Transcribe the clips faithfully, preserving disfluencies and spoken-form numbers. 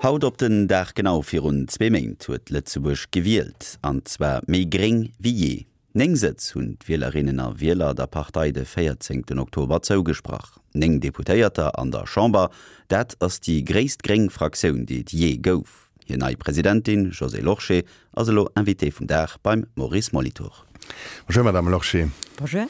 Haut op den Dag genau virun zwee Méint huet Lëtzebuerg gewielt, an zwar méi gréng wéi jee. Néng Sëtz hunn d'Wielerinnen a Wieler der Partei de véierzéngten Oktober zougesprach. Néng Deputéierter an der Chamber, dat ass déi gréisst gréng Fraktioun, déi et jee gouf. Hir nei Presidentin Josée Lorsché ass elo Invitée vum Dag beim Maurice Molitor. Bonjour Madame Lorsché. Bonjour.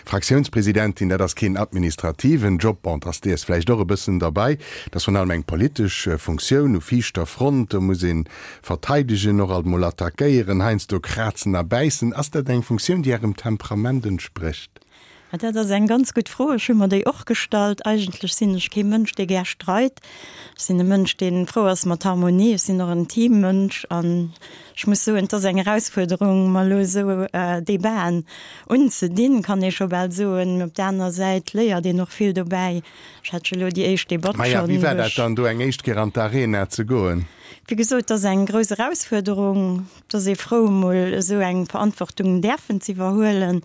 Fraktiounspresidentin, dat ass keen administrativen Job, bon, et ass dees vläicht och e bëssen derbäi, dat ass virun allem eng politesch Funktioun u viischter Front, do muss ee verteidegen, och alt mol attackéieren, heiansdo krazen a bäissen. Ass dat eng Funktioun, déi Ärem Temperament entsprécht? Dat ass eng ganz gutt Fro. Ech hu mer déi och gestallt. Eigentlech sinn ech kee Mënsch, dee gär streit. Ech sinn e Mënsch, dee frou ass mat Harmonie. Ech sinn och en Teammënsch an ech muss soen, et ass eng Erausfuerderung, mer elo esou Debaten unzedinn, kann ee scho bal soen. Mee op der aner Säit léiert een och vill dobäi. Ech hat jo elo déi éischt Debatt Maja, schonn, wéi war wou dat ech. dann, do eng éischt Kéier an d'Arena ze goen? Wéi gesot, et ass eng grouss Erausfuerderung. Et ass ee frou, emol esou eng Verantwortung däerfen ze iwwerhuelen.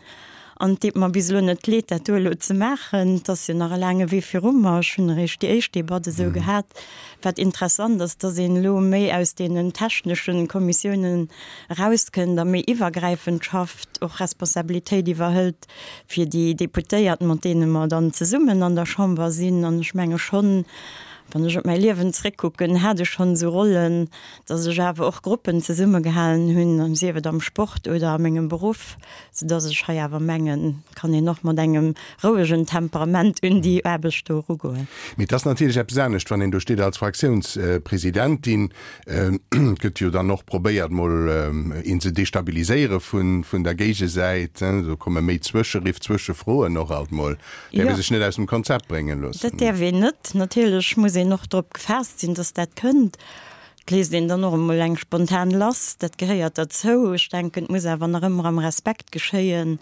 An et deet mer bis elo net leed, dat do elo ze maachen. Et ass jo nach e laange Wee viru mer. Ech hunn eréischt déi éischt Debatt esou gehat. Wat interessant ass, dass een elo méi aus deenen technesche Kommissiounen erauskënnt a méi iwwergräifend schafft, och Responsabilitéit iwwerhëlt fir déi Deputéiert, mat deene mer dann zesummen an der Chamber sinn. An ech menge schonn, wann ech op mäi Liewen zréckkucken, hat ech schonn esou Rollen, dass ech awer och Gruppen zesummegehalen hunn, sief et am Sport oder a mengem Beruff, soudass ech hei awer mengen, kann een och mat engem rouegen Temperament un déi Aarbecht do erugoen. Mee et ass natierlech eppes anescht, wann een do steet als Fraktiounspresidentin. Et gëtt jo dann och probéiert, mol een ze destabiliséiere vun der Géigesäit. Do komme méi Zwëscheriff, Zwëschefroen och alt mol. Däerf ee sech net aus dem Konzept brénge loossen. Dat däerf een net. Natierlech muss een och drop gefaasst sinn, dass dat kënnt. Et léisst een dann och emol eng spontan lass, dat gehéiert derzou. Ech denken, et muss awer nach ëmmer am Respekt geschéien.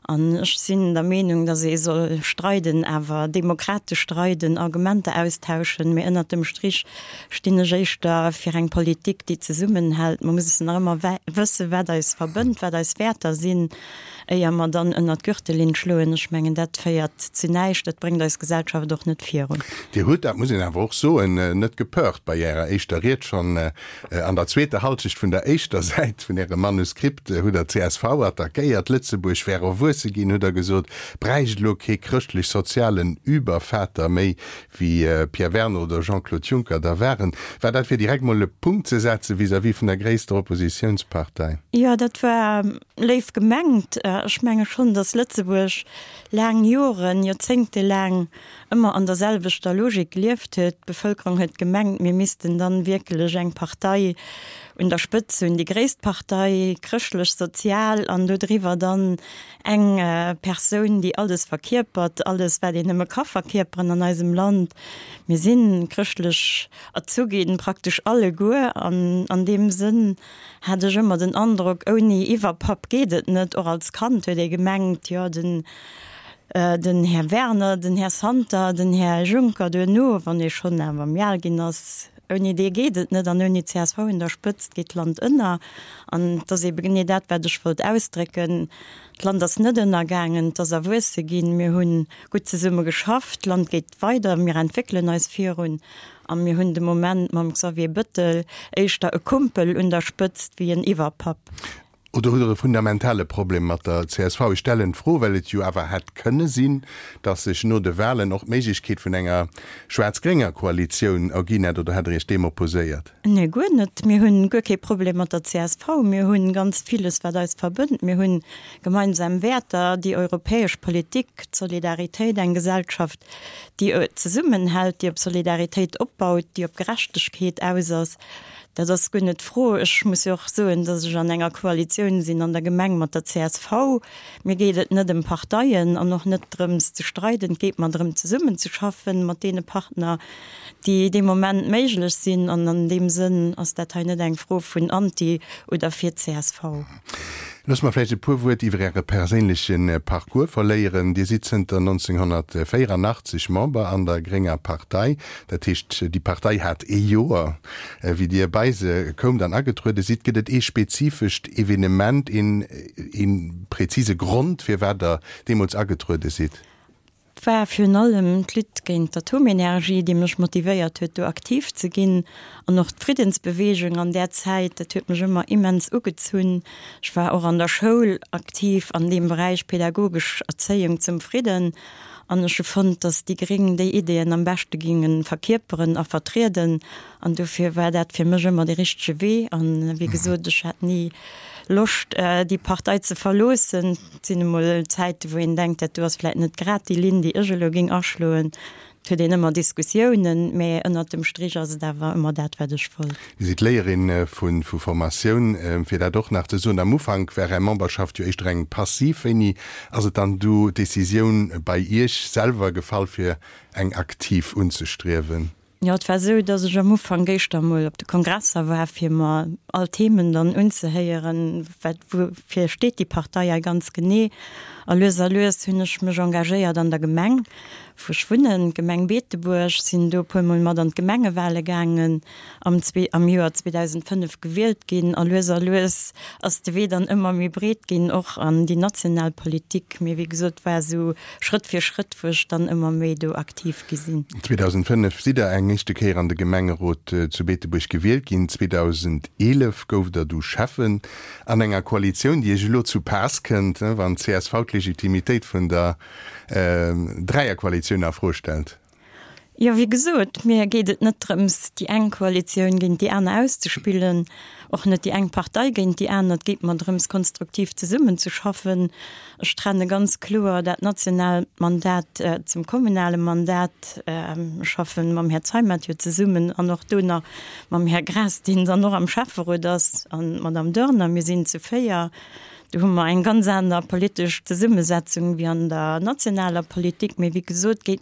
An ech sinn der Meenung, dass ee soll streiden, awer demokratesch streiden, Argumenter austauschen. Mee ënnert dem Strich stinn ech éischter fir eng Politik, déi zesummenhält. Mer mussen nach ëmmer wëssen, wat eis verbënnt, wat eis Wäerter sinn. Éier mer dann ënnert d'Gürtellinn schloen, ech mengen, dat féiert zu näischt, dat bréngt eis Gesellschaft och net virun. Dir hutt, dat muss een awer och soen, net gepeurt bei Ärer éischter Ried. Schonn an der zweeter Halschecht vun der éischter Säit vun Ärem Manuskript hutt Der csv attackéiert. Lëtzebuerg wär erwuesse ginn, hutt Der gesot, bräicht elo kee chrëschtlech-sozialen Übervater méi, wéi Pierre Werner oder Jean-Claude Juncker da waren. War dat fir direkt mol e Punkt ze setze vis-à-vis vun der gréisster Oppositiounspartei? Jo, dat war léif gemengt. Ech menge schonn, datt Lëtzebuerg laang Joren, joerzéngtelaang ëmmer an der selwechter Logik gelieft huet. D'Bevëlkerung huet gemengt, mir missten dann wierklech eng Partei un der Spëtz hunn, déi gréisst Partei, chrëschtlech-sozial, an do driwwer dann eng Persoun, déi alles verkierpert, alles, wat een nëmme ka verkierperen an eisem Land. Mir si chrëschtlech erzu ginn, praktesch alleguer, an an deem Sënn hat ech ëmmer den Androck, ouni Iwwerpapp geet et net. Och als Kand huet ee gemengt, jo, den den Här Werner, den Här Santer, den Här Juncker duerno, wann ee schonn awer méi al ginn ass, ouni dee geet et net an ouni csv un der Spëtzt geet d'Land ënner. An et ass eebe genee dat, wat ech wollt ausdrécken, D'Land ass net ënnergaangen, et ass erwuesse ginn, mir hu gutt zesumme geschafft, d'Land geet weider, mir entwéckelen eis virun a mir hunn de Moment mam Xavier Bettel éischter e Kumpel un der Spëtzt wéi en Iwwerpapp. Oder hutt Der e fundamentale Problem mat der csv? Ech stellen d'Fro, well et jo awer hätt kënne sinn, datt sech no de Wahlen och d'Méiglechkeet vun enger schwaarz-grénger Koalitioun erginn hätt. Oder hätt Der Iech deem opposéiert? Nee, guer net. Mir hunn guer kee Problem mat der csv. Mir hu ganz villes, wat eis verbënnt. Mir hu gemeinsam Wäerter, déi europäesch Politik, d'Solidaritéit, eng Gesellschaft, déi zesummenhält, déi op Solidaritéit opbaut, déi op Gerechtegkeet aus ass. Dat ass guer net d'Fro. Ech muss jo och soen, datt ech an enger Koalitioun sinn an der Gemeng mat der csv. Mir geet et net ëm Parteien an och net drëms ze streiden. Et geet mer drëm zesummenzeschaffen mat deene Partner, déi dee Moment méiglech sinn. An an deem Sënn ass dat hei net eng Fro vun anti oder fir csv. Loosst mer vläicht e puer Wuert iwwer Äre perséinleche Parcours verléieren. Dir sidd zënter nonzénghonnertvéieranachtzeg Member an der grénger Partei. Dat heescht, déi Partei hat ee Joer, wéi Dir bei se koumt an agetruede sidd. Gëtt et ee spezifescht Evenement, een, ee prezise Grond, firwat Der deemools agetruede sidd? war virun allem d'Lutte géint d'Atomenergie, déi mech motivéiert huet, do aktiv ze ginn. An och d'Friddensbeweegung an där Zäit, dat huet mech ëmmer immens ugezunn. Ech war och an der Schoul aktiv an deem Beräich pädagogesch Erzéiung zum Fridden. An ech hu fonnt, datt déi Gréng déi Ideeën am beschte géinge verkierperen a vertrieden. An dofir war dat fir mech ëmmer dee richtege Wee. An wéi gesot, ech hat ni Loscht, déi Partei ze verloossen. Et sinn emol Zäiten, wou een denkt, dat do ass vläicht net grad déi Linn, déi ech elo géing aschloen. Et huet een ëmmer Diskussiounen, mä ënnert dem Strich ass et awer ëmmer dat, wat ech wollt. Dir sidd Léierin vu Formatioun. Fir dat och nach ze soen, am Ufank war Är Memberschaft jo éischter eng passiv. Wéini ass et dann du d'Decisioun bei Iech selwer gefall, fir eng aktiv unzestriewen? Jo, et war esou, datt ech am Ufank éischter emol op de Kongresser war, fir mer all Themen dann unzehéieren, wat, woufir steet déi Partei hei ganz genee. A lues a lues hunn ech mech engagéiert an der Gemeng, wou ech wunnen, d'Gemeng Beetebuerg, sinn do e puermol mat an d'Gemengewale gaangen, am zwee, am Joer zweedausendfënnef gewielt ginn. A lues a lues ass de Wee dann ëmmer méi breet ginn, och an déi national Politik. Mee wéi gesot, war esou Schrëtt fir Schrëtt, wou ech dann ëmmer méi do aktiv gi sinn. zweedausendfënnef sidd Der eng éischte Kéier an de Gemengerot zu Beetebuerg gewielt ginn. zweedausendeelef gouft Der du Schäffen an enger Koalitioun, déi Iech elo zu Paass kënnt, wann d'CSV d'Legitimitéit vun der Dräierkoalitioun a Fro stellt. Jo, wéi gesot, mir geet et net drëms, déi eng Koalitioun géint déi aner auszespillen, och net déi eng Partei géint déi aner. Et geet mer drëms, konstruktiv zesummenzeschaffen. Ech trenne ganz kloer dat nationaalt Mandat zum kommunale Mandat. Ech schaffe mam Här Zeimet jo zesummen an och do nach mam Här Graas, deen dann och am Schäfferot ass, an d'Madame Doerner. Mir sinn zu véier. Do hu mer eng ganz aner politesch Zesummesetzung wéi an der nationaler Politik. Mee wéi gesot, geet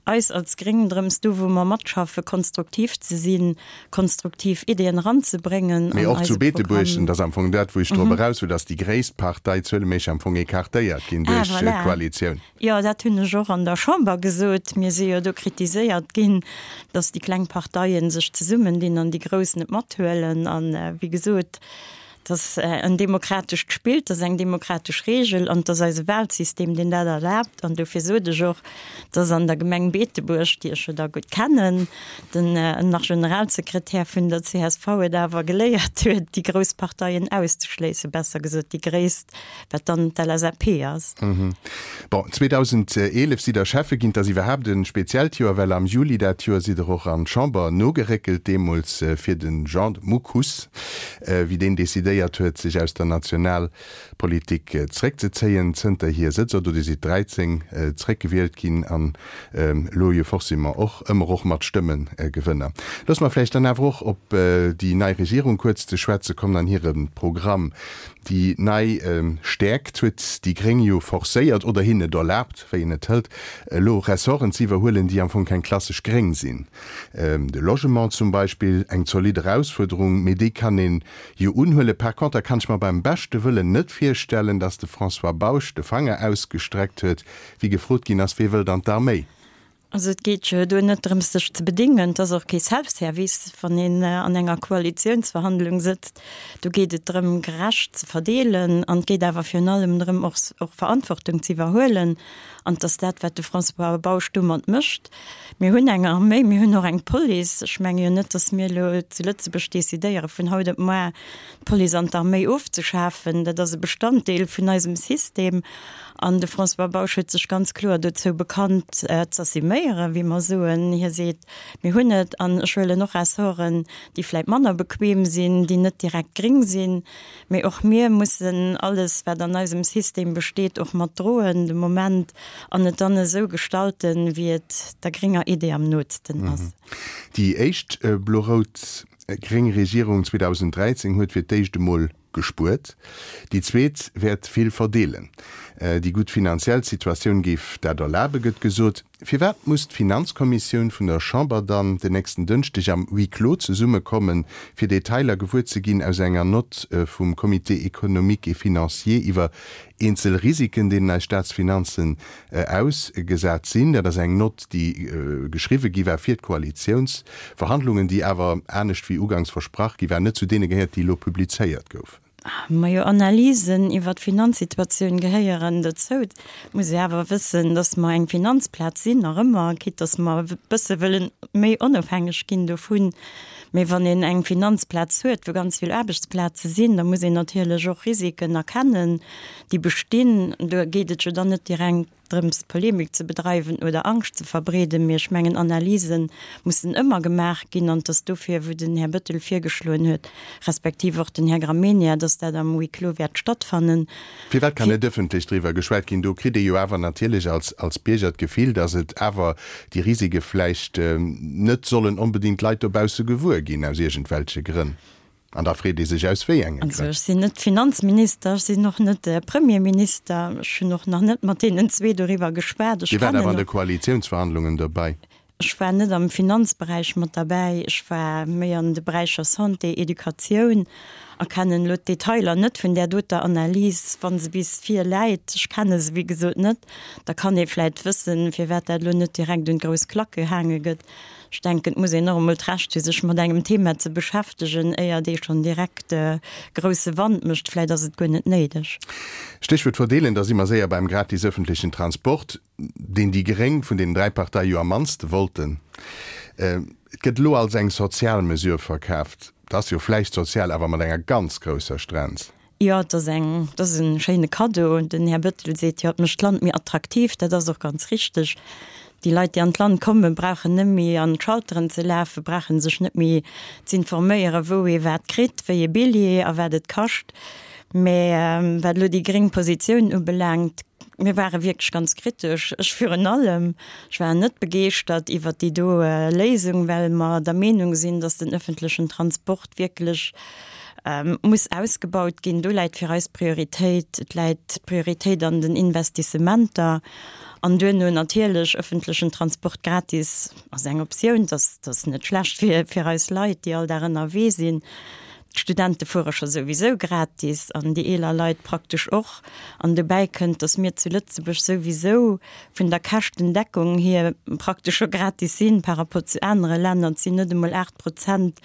eis als Gréng drëms, do wou mer matschaffe konstruktiv ze sinn, konstruktiv Ideeën eranzebréngen Mee an och zu eise Beetebuerg, Programm. dat ass am Fong dat, wou ech drop eraus wëll, dass déi gréisst Partei zueleméisseg am Fong écartéiert ginn Ah, duerch voilà. d'Koalitioun. Jo, dat hunn ech och an der Chamber gesot. Mir si jo do kritiséiert ginn, dass déi kleng Parteien sech zesummendinn an déi grouss net mathuelen. An, wéi gesot, Et ass en demokratescht Spill, et ass eng demokratesch Regel an et ass eise Wahlsystem, deen dat erlaabt. An dofir sot ech och, dass an der Gemeng Beetebuerg, déi ech jo da gutt kennen, den nach Generalsekretär vun der C S V et awer geléiert huet, déi grouss Parteien auszeschléissen, besser gesot déi gréisst, wat dann d'L S A P ass. Bon, zweedausendeelef sidd Der Schäffe ginn. Et ass iwwerhaapt e speziellt Joer, well am Juli dat Joer sidd Der och an d'Chamber nogeréckelt, deemools fir de Jean Mukus, wéi deen decidéiert huet, sech aus der Nationalpolitik zréckzezéien. Zënterhier sëtzt Der do, Dir sidd dräizéng zréckgewielt ginn an elo jo forcément och ëmmer och mat Stëmmegewënner. Loosse mer vläicht dann awer och op déi nei Regierung kuerz ze schwätze kommen an hire Programm. Déi nei Stäerkt huet déi Gréng jo forcéiert, oder hinnen et erlaabt, wéi een et hëlt, elo Ressorten ze iwwerhuelen, déi am Fong keng klassesch gréng sinn. De Logement zum Beispill, eng zolidd Erausfuerderung, mee déi kann een jo unhuelen. Par conter kann ech mer beim beschte Wëllen net virstellen, datt de François Bausch de Fanger ausgestreckt huet, wéi gefrot ginn ass, Wee wëllt an d'Arméi? Also et geet jo do net drëms sech ze bedéngen, et ass och kee Self-Service, wann een an enger Koalitiounsverhandlung sëtzt. Do geet et drëm gerecht ze verdeelen an et geet awer virun allem drëm och och Verantwortung ze iwwerhuelen an et ass dat wat de François Bausch domat mécht. Mir hunn eng Arméi, mir hunn och eng Police. Ech menge jo net, datt mir elo zu Lëtzebuerg decidéiere vun haut op muer d'Police an d'Arméi ofzeschafen. Dat ass e Bestanddeel vun eisem System. An de François Bausch huet sech ganz kloer dozou bekannt, z'assuméieren, wéi mer soen. Hie seet, Mir hunn et an ech huelen och Ressorten, déi vläicht manner bequem sinn, déi net direkt gréng sinn. Mee och mir mussen alles, wat an eisem System besteet, och mat droen de Moment an et dann esou gestalten, wéi et der grénger Idee am nootsten ass. Déi éischt blo-rout-gréng Regierung zweedausend dräizéng huet fir d'éischt emol gespuert. Déi zweet wäert vill verdeelen. Déi gutt finanziell Situatioun géif dat erlaben, gëtt gesot. Firwat muss d'Finanzkommissioun vun der Chamber dann den nächsten Dënschdeg am Huis clos zesummekommen, fir Detailer gewuer ze ginn aus enger Nott vum Comité économique et financier iwwer eenzel Risiken, deenen eis Staatsfinanzen ausgesat sinn? Dat ass eng Nott, déi geschriwwe gi war fir d'Koalitiounsverhandlungen, déi awer, anescht wéi ugangs versprach gi war, net zu deene gehéiert, déi elo publizéiert goufen. Majo, Analysen iwwer d'Finanzsituatioun gehéieren dozou. Et muss ee awer wëssen, datt mer eng Finanzplaz sinn, nach ëmmer, quitte datt mer e bësse wëllen méi onofhängeg ginn dovun. Mee wann een eng Finanzplaz huet, wou ganz vill Aarbechtsplaze sinn, da muss een natierlech och Risiken erkennen, déi bestinn. Do geet et jo dann net direkt drëms, Polemik ze bedreiwen oder Angscht ze verbreeden, mee ech mengen, Analyse mussen ëmmer gemaach ginn an et ass dofir, wou den Här Bettel virgeschloen huet, respektiv och den Här Gramegna, dass dat am Huis clos wäert stattfannen. Firwat kann net ëffentlech driwwer geschwat ginn? Do kritt ee jo awer natierlech als, als Bierger d'Gefill, dass et awer déi Risike vläicht net sollen onbedéngt d'Leit dobausse gewuer ginn, aus iergendwelche Grënn. An da freet ee sech, aus wéi enge Grënn. Also ech sinn net Finanzminister, ech sinn och net Premierminister, ech hunn och nach net mat deenen zwee doriwwer geschwat. Dir waart awer an de Koalitiounsverhandlungen dobäi. Ech war net am Finanzberäich mat derbäi, ech war méi an de Beräicher Santé, Educatioun a kennen elo d'Detailer net vun där doter Analys. Wa se bis virläit, ech kenne se wéi gesot net, da kann ee vläicht wëssen, firwat dat elo net direkt un d'grouss Klack gehaange gëtt. Ech denken, et muss een och emol d'Recht hu sech mat engem Thema ze beschäftegen, éiert ee schonn direkt grousse Wand mécht. Vläicht ass et guer net néideg. Stéchwuert verdeelen, da si mer séier beim gratis ëffentlechen Transport, deen déi gréng vun deenen dräi Parteie jo am mannste wollten. Et gëtt elo als eng sozial Mesure verkaaft. Dat ass jo vläicht sozial, awer mat enger ganz grousser Strenz. Jo, et ass eng, et ass e schéine Kaddo. Den Här Bettel seet jo, et mécht d'Land méi attraktiv. Dat ass och ganz richteg. Déi Leit, déi an d'Land kommen, brauchen net méi an d'Schalteren ze lafen, brauche sech net méi z'informéieren, wou ee wat kritt, wéi ee Billjee a wat et kascht. Mä wat elo déi gréng Positioun ubelaangt, mir ware wierklech ganz kritesch, ech virun allem. Ech war net begeeschtert iwwert déi do Léisung, well mer der Meenung sinn, datt den öffentlechen Transport wierklech muss ausgebaut ginn. Do läit fir eis d'Prioritéit. Et läit d'Prioritéit an den Investissementer an duerno natierlech öffentlechen Transport gratis ass eng Optioun. Dat ass net schlecht fir fir eis Leit, déi all Dag ënnerwee sinn. D'Studente fuere scho souwisou gratis an déi eeler Leit praktesch och. An dobäi kënnt, datt mir zu Lëtzebuerg souwisou vun der Käschtendeckung hier praktesch scho gratis sinn par rapport zu anere Länner. Et sinn net emol aacht Prozent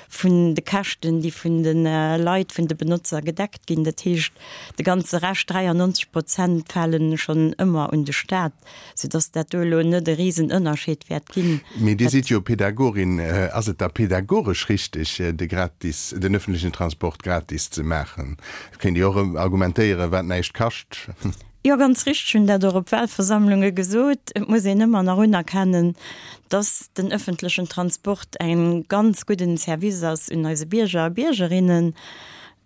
vun de Käschten, déi vun de Leit, vun de Benotzer gedeckt ginn. Dat heescht, de ganze Rescht, dräiannonzeg Prozent, fale schonn ëmmer un de Staat, soudass dat do elo net e Risenënnerscheed wäert ginn. Mee Dir sidd jo Pädagogin. Ass et da pädagogesch richteg, de gratis, den öffentlichen Transport gratis ze maachen? Et kéint ee jo och argumentéieren, wat näischt kascht. Jo, ganz richteg, hunn dat och op Wahlversammlunge gesot. Et muss een ëmmer nach unerkennen, dass den öffentlechen Transport e ganz gudden Service ass un eise Bierger a Biergerinnen.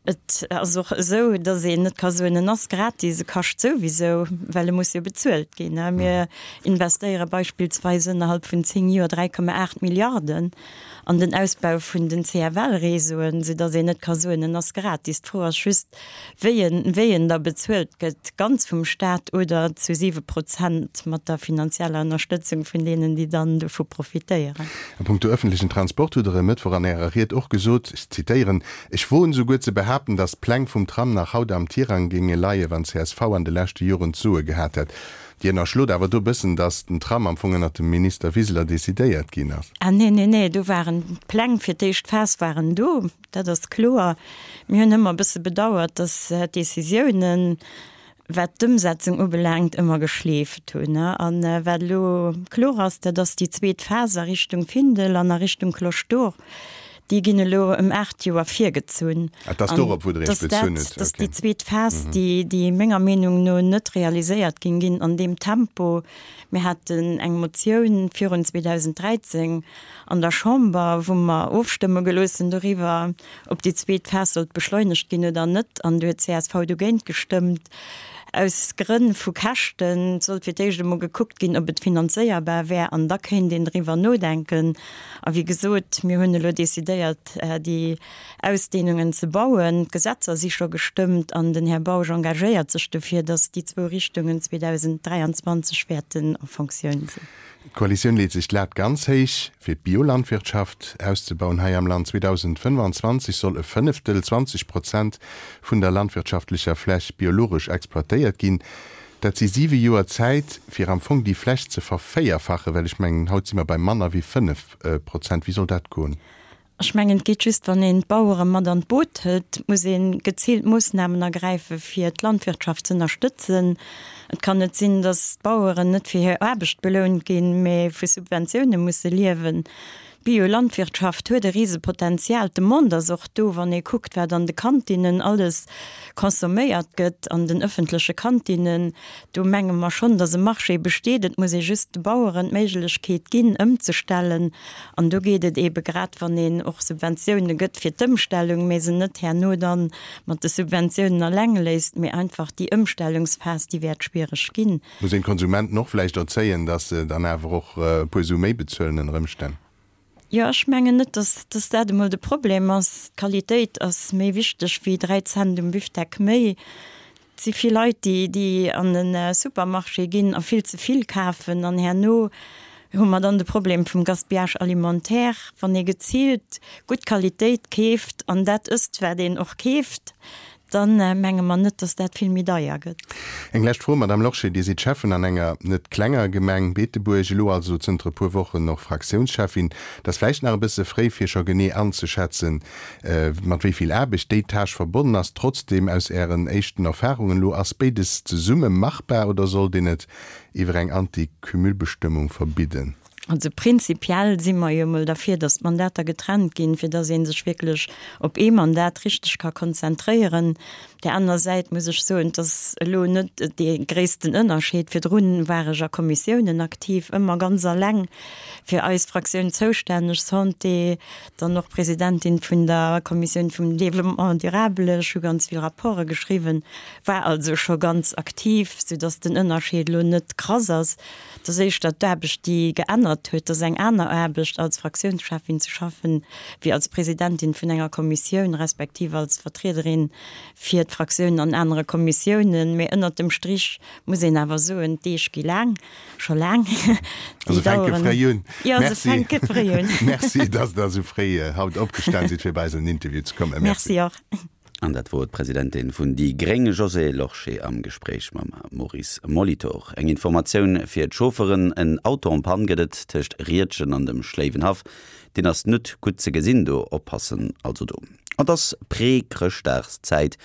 Et ass och esou, dass een net ka soen, en ass gratis, e kascht souwisou, well e muss jo bezuelt ginn. Mir investéiere beispillsweis ënnerhalb vun zéng Joer dräi Komma aacht Milliarden an den Ausbau vun den C F L-Réseauen, soudass een net ka soen, en ass gratis. D'Fro ass just, wéi en, wéi en da bezuelt gëtt, ganz vum Staat oder zu siwe Prozent mat der finanzieller Ënnerstëtzung vun deenen, déi dann dovu profitéieren. A punkto öffentlechen Transport hutt Der e Mëttwoch an Ärer Ried och gesot, ech zitéieren, Ech woen souguer ze behaapten, datt d'Pläng vum Tram nach haut am Tirang géinge leien, wann csv an de leschte Joren d'Soe gehat hätt. Dir ënnerschlot awer do bëssen, datt den Tram am Fong ënnert dem Minister Wiseler decidéiert ginn ass. Ah nee, nee, nee, do waren d'Pläng fir d'éischt Phas waren do, dat ass kloer. Mir hunn ëmmer e bësse bedauert, datt d'Décisiounen, wat d'Ëmsetzung ubelaangt, ëmmer geschleeft hunn. A wat elo kloer ass, dat ass déi zweet Phas a Richtung Findel an a Richtung Cloche d'Or. Déi ginn elo ëm aacht Joer virgezunn. Ah, et ass dorop, wou Der Iech bezunn hutt. Dat ass déi zweet Phas, déi menger Meenung no net realiséiert géing ginn an deem Tempo. Mir haten eng Motioun virun zweedausenddräizéng an der Chamber, wou mer ofstëmme gelooss hunn doriwwer, ob déi zweet Phas sollt beschleunegt ginn oder net, an do huet csv dogéint gestëmmt. Aus Grënn vu Käschten. Et sollt fir d'éischt emol gekuckt ginn, ob et finanzéierbar wär, an da kéint een driwwer nodenken. A wéi gesot, mir hunn elo decidéiert, déi Ausdehnungen ze bauen. D'Gesetzer si scho gestëmmt an den Här Bausch engagéiert sech dofir, datt déi zwou Richtungen zweedausendräianzwanzeg wäerten en Fonctioun sinn. D'Koalitioun leet sech d'Lat ganz héich, fir d'Biolandwirtschaft auszebauen hei am Land. zweedausendfënnefanzwanzeg soll e Fënneftel, zwanzeg Prozent, vun der landwirtschaftlecher Fläch biologesch exploitéiert ginn. Dat si siwe Joer Zäit, fir am Fong déi Fläch ze vervéierfachen, well ech mengen, haut si mer bei manner wéi fënnef Prozent. Wéi soll dat goen? Ech mengen, et geet just, wann een d'Bauere mat an d'Boot hëlt. Et muss ee geziilt Moossnamen ergräife fir d'Landwirtschaft z'ënnerstëtzen. Et kann net sinn, datt d'Baueren net fir hir Aarbecht belount ginn, mee vu Subventioune musse liewen. D'Biolandwirtschaft huet e Risepotenzial. D'Demande ass och do, wann ee kuckt, wat an de Kantinnen alles consomméiert gëtt, an den ëffentleche Kantinnen. Do menge mer schonn, datt e Marché besteet. Et muss ee just de Baueren d'Méiglechkeet ginn, ëmzestellen. An do geet et eebe grad, wann een och Subventioune gëtt fir d'Ëmstellung, mee se net herno da mat de Subventiounen eleng léisst, mee einfach déi Ëmstellungsphas, déi wäert schwiereg ginn. Muss een d'Konsumenten och vläicht erzéien, datt se dann awer och e puer Su méi bezuelen ënner Ëmstänn? Jo, ech mengen net, dass, dass dat emol de Problem ass. D'Qualitéit ass méi wichteg wéi dräi Cent um Bifdeck méi. Et si vill Leit, déi, déi an de Supermarché ginn a vill ze vill kafen an herno hu mer dann de Problem vum Gaspillage alimentaire. Wann ee geziilt gutt Qualitéit keeft an dat ësst, wat een och keeft, Dann menge mer net, dass dat vill méi deier gëtt. Eng lescht Fro, Madame Lorsché, Dir sidd Schäffen an enger net klenger Gemeng, Beetebuerg, elo also zënter e puer Wochen och Fraktiounscheffin. Et ass vläicht nach e bësse fréi, fir scho genee anzeschätzen, mat wéi vill Aarbecht déi Tâche verbonnen ass. Trotzdem, aus Ären éischten Erfahrungen elo, ass béides zesumme machbar oder sollt een et iwwer eng Anti-Cumul-Bestëmmung verbidden? Also prinzipiell si mer jo emol derfir, datt d'Mandater getrennt ginn, fir datt ee sech wierklech op ee Mandat richteg ka konzentréieren. Op där anerer Säit muss ech soen, et ass elo net dee gréissten Ënnerscheed. Virdrun war ech a Kommissiounen aktiv, ëmmer ganz alleng fir eis Fraktioun zoustänneg, Santé, dann och Presidentin vun der Kommissioun vum Développement durable. Ech hu ganz vill Rapporte geschriwwen, war also scho ganz aktiv, soudatt den Ënnerscheed elo net krass ass. Et ass éischter d'Aarbecht, déi geännert huet. Et ass eng aner Aarbecht, als Fraktiounscheffin ze schaffen, wéi als Presidentin vun enger Kommissioun, respektiv als Vertriederin fir d'Fraktioun an anere Kommissiounen. Mee ënnert dem Strich muss een awer soen, d'Deeg gi laang, scho laang. Déi Se fänke fréi un. Jo, se fänke fréi un. Merci, dass Der esou fréi haut opgestan sidd, fir bei eis an den Interview ze kommen. Merci och. An dat wor d'Presidentin vun déi gréng Josée Lorsché am Gespréich mam Maurice Molitor. Eng Informatioun fir d'Chaufferen, En Auto en panne gëtt et tëscht Riedgen an dem Schléiwenhaff. Deen ass net gutt ze gesinn do, oppassen also do. Et ass Pré-Chrëschtdagszäit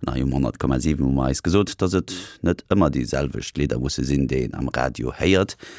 an hei um honnert Komma siwen hu mer eis gesot, dass et net ëmmer déi selwecht Lidder musse sinn, déi een am Radio héiert.